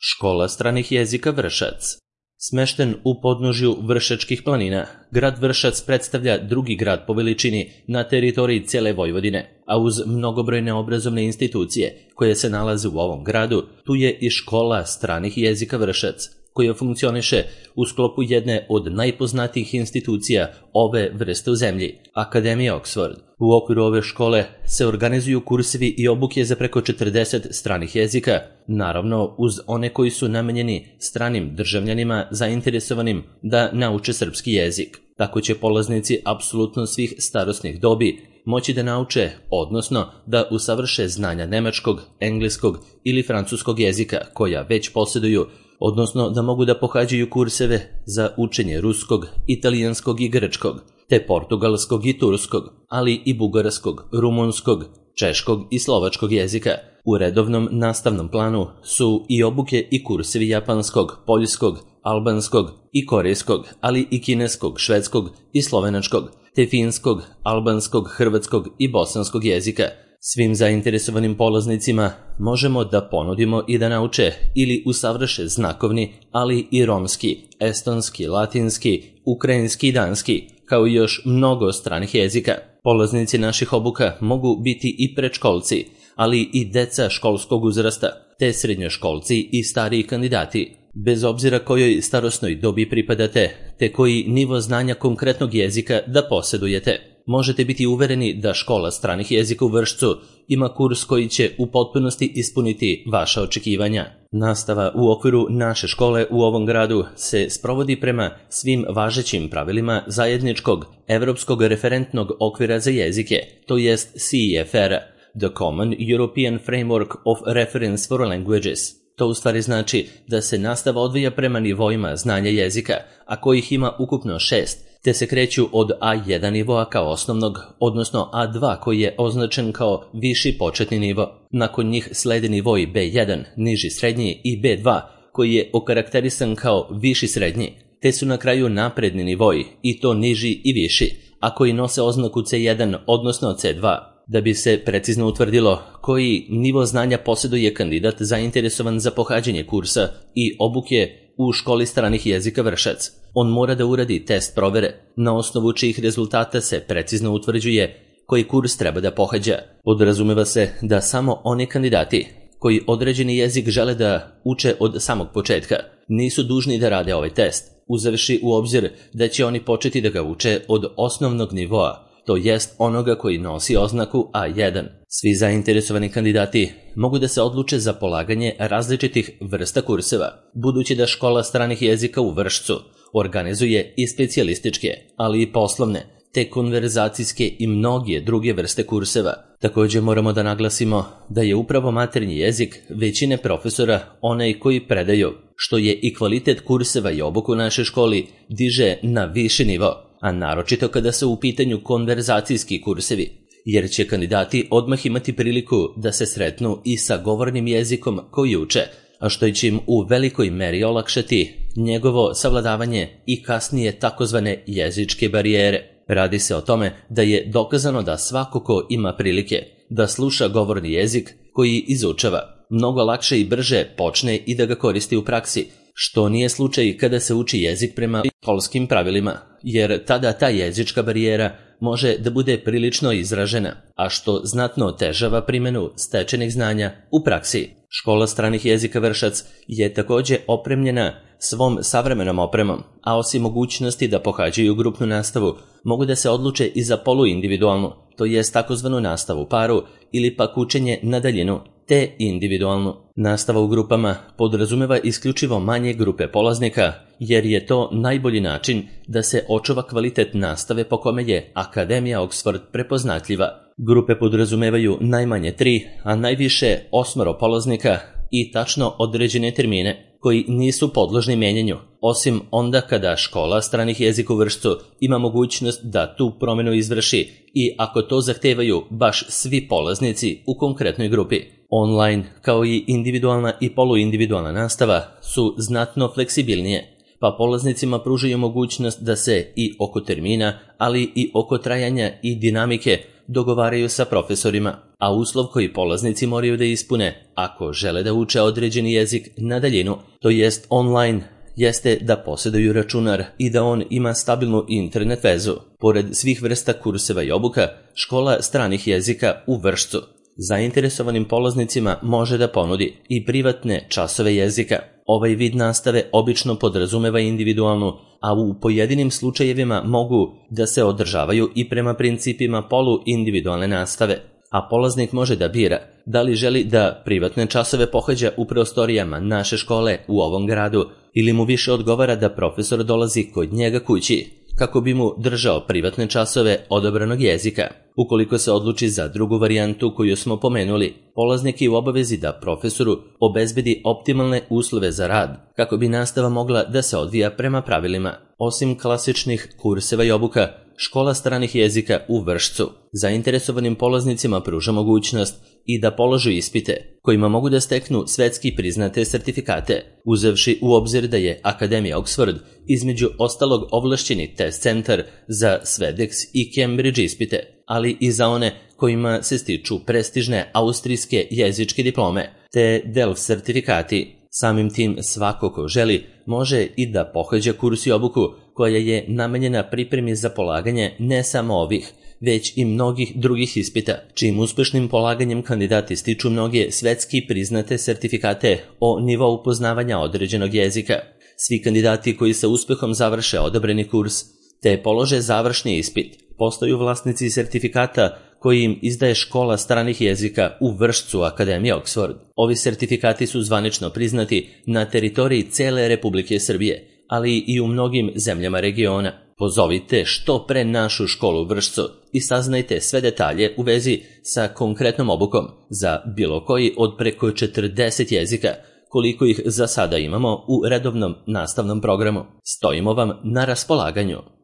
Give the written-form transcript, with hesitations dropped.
Škola stranih jezika Vršac. Smešten u podnožju Vršačkih planina, grad Vršac predstavlja drugi grad po veličini na teritoriji cijele Vojvodine, a uz mnogobrojne obrazovne institucije koje se nalaze u ovom gradu, tu je i škola stranih jezika Vršac, koja funkcioniše u sklopu jedne od najpoznatijih institucija ove vrste u zemlji, Akademija Oxford. U okviru ove škole se organizuju kursevi i obuke za preko 40 stranih jezika, naravno uz one koji su namenjeni stranim državljanima zainteresovanim da nauče srpski jezik. Tako će polaznici apsolutno svih starosnih dobi moći da nauče, odnosno da usavrše znanja nemačkog, engleskog ili francuskog jezika koja već posjeduju, odnosno da mogu da pohađaju kurseve za učenje ruskog, italijanskog i grčkog, te portugalskog i turskog, ali i bugarskog, rumunskog, češkog i slovačkog jezika. U redovnom nastavnom planu su i obuke i kursevi japanskog, poljskog, albanskog i korejskog, ali i kineskog, švedskog i slovenačkog, te finskog, albanskog, hrvatskog i bosanskog jezika. Svim zainteresovanim polaznicima možemo da ponudimo i da nauče ili usavrše znakovni, ali i romski, estonski, latinski, ukrajinski i danski, kao i još mnogo stranih jezika. Polaznici naših obuka mogu biti i predškolci, ali i deca školskog uzrasta, te srednjoškolci i stariji kandidati. Bez obzira kojoj starosnoj dobi pripadate, te koji nivo znanja konkretnog jezika da posjedujete, možete biti uvereni da škola stranih jezika u Vršcu ima kurs koji će u potpunosti ispuniti vaša očekivanja. Nastava u okviru naše škole u ovom gradu se sprovodi prema svim važećim pravilima zajedničkog evropskog referentnog okvira za jezike, to jest CEFR, The Common European Framework of Reference for Languages. To u stvari znači da se nastava odvija prema nivoima znanja jezika, a kojih ima ukupno 6, te se kreću od A1 nivoa kao osnovnog, odnosno A2 koji je označen kao viši početni nivo. Nakon njih slede nivoi B1, niži srednji, i B2 koji je okarakterisan kao viši srednji, te su na kraju napredni nivoi, i to niži i viši, a koji nose oznaku C1, odnosno C2. Da bi se precizno utvrdilo koji nivo znanja posjeduje kandidat zainteresovan za pohađanje kursa i obuke u školi stranih jezika Vršac, on mora da uradi test provere, na osnovu čijih rezultata se precizno utvrđuje koji kurs treba da pohađa. Podrazumeva se da samo oni kandidati koji određeni jezik žele da uče od samog početka nisu dužni da rade ovaj test, uzevši u obzir da će oni početi da ga uče od osnovnog nivoa, to jest onoga koji nosi oznaku A1. Svi zainteresovani kandidati mogu da se odluče za polaganje različitih vrsta kurseva, budući da škola stranih jezika u Vršcu organizuje i specijalističke, ali i poslovne, te konverzacijske i mnoge druge vrste kurseva. Također moramo da naglasimo da je upravo maternji jezik većine profesora onaj koji predaju, što je i kvalitet kurseva i obuku u našoj školi diže na viši nivo, a naročito kada su u pitanju konverzacijski kursevi, jer će kandidati odmah imati priliku da se sretnu i sa govornim jezikom koji uče, a što će im u velikoj meri olakšati njegovo savladavanje i kasnije takozvane jezičke barijere. Radi se o tome da je dokazano da svako ko ima prilike da sluša govorni jezik koji izučava, mnogo lakše i brže počne i da ga koristi u praksi, što nije slučaj kada se uči jezik prema školskim pravilima, jer tada ta jezička barijera može da bude prilično izražena, a što znatno otežava primjenu stečenih znanja u praksi. Škola stranih jezika Vršac je također opremljena svom savremenom opremom, a osim mogućnosti da pohađaju grupnu nastavu, mogu da se odluče i za poluindividualnu, to jest takozvanu nastavu u paru ili pak učenje na daljinu, te individualnu. Nastava u grupama podrazumeva isključivo manje grupe polaznika, jer je to najbolji način da se očuva kvalitet nastave po kome je Akademija Oxford prepoznatljiva. Grupe podrazumevaju najmanje 3, a najviše 8 polaznika i tačno određene termine, koji nisu podložni mijenjanju, osim onda kada škola stranih jezika u Vršcu ima mogućnost da tu promjenu izvrši i ako to zahtevaju baš svi polaznici u konkretnoj grupi. Online, kao i individualna i poluindividualna nastava, su znatno fleksibilnije, pa polaznicima pružaju mogućnost da se i oko termina, ali i oko trajanja i dinamike dogovaraju sa profesorima, a uslov koji polaznici moraju da ispune ako žele da uče određeni jezik na daljinu, to jest online, jeste da posjeduju računar i da on ima stabilnu internet vezu. Pored svih vrsta kurseva i obuka, škola stranih jezika u Vršcu zainteresovanim polaznicima može da ponudi i privatne časove jezika. Ovaj vid nastave obično podrazumeva individualnu, a u pojedinim slučajevima mogu da se održavaju i prema principima poluindividualne nastave, a polaznik može da bira da li želi da privatne časove pohađa u prostorijama naše škole u ovom gradu ili mu više odgovara da profesor dolazi kod njega kući kako bi mu držao privatne časove odabranog jezika. Ukoliko se odluči za drugu varijantu koju smo pomenuli, polaznik je u obavezi da profesoru obezbedi optimalne uslove za rad kako bi nastava mogla da se odvija prema pravilima. Osim klasičnih kurseva i obuka, škola stranih jezika u Vršcu zainteresovanim polaznicima pruža mogućnost i da položu ispite kojima mogu da steknu svetski priznate sertifikate, uzevši u obzir da je Akademija Oxford između ostalog ovlašćeni test centar za Swedex i Cambridge ispite, ali i za one kojima se stiču prestižne austrijske jezičke diplome te DELF sertifikati. Samim tim svako ko želi može i da pohađa kurs i obuku koja je namenjena pripremi za polaganje ne samo ovih, već i mnogih drugih ispita, čijim uspešnim polaganjem kandidati stiču mnoge svetski priznate sertifikate o nivou poznavanja određenog jezika. Svi kandidati koji sa uspehom završe odabrani kurs te polože završni ispit postaju vlasnici sertifikata koji im izdaje škola stranih jezika u Vršcu Akademije Oxford. Ovi sertifikati su zvanično priznati na teritoriji cele Republike Srbije, ali i u mnogim zemljama regiona. Pozovite što pre našu školu u Vršcu i saznajte sve detalje u vezi sa konkretnom obukom za bilo koji od preko 40 jezika, koliko ih za sada imamo u redovnom nastavnom programu. Stojimo vam na raspolaganju.